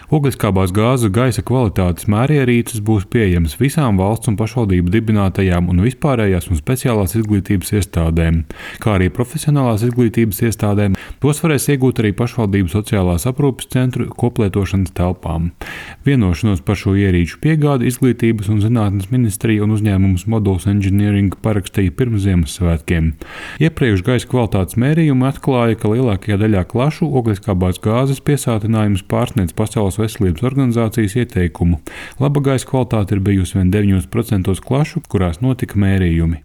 Ogleskābās gāzes gaisa kvalitātes mērierīces būs pieejamas visām valsts un pašvaldību dibinātajām un vispārējās un speciālās izglītības iestādēm, kā arī profesionālās izglītības iestādēm. Tos varēs iegūt arī pašvaldību sociālās aprūpes centru koplietošanas telpām. Vienošanos par šo ierīču piegādi Izglītības un zinātnes ministrija un uzņēmums Modules Engineering parakstīja pirms Ziemassvētkiem. Iepriekš gaisa kvalitātes mērījumi atklāja, ka lielākajā daļā klašu ogleskābās gāzes piesātinājums pārsniedz Pasaules veselības organizācijas ieteikumu. Laba gaisa kvalitāte ir bijusi vien 9% klašu, kurās notika mērījumi.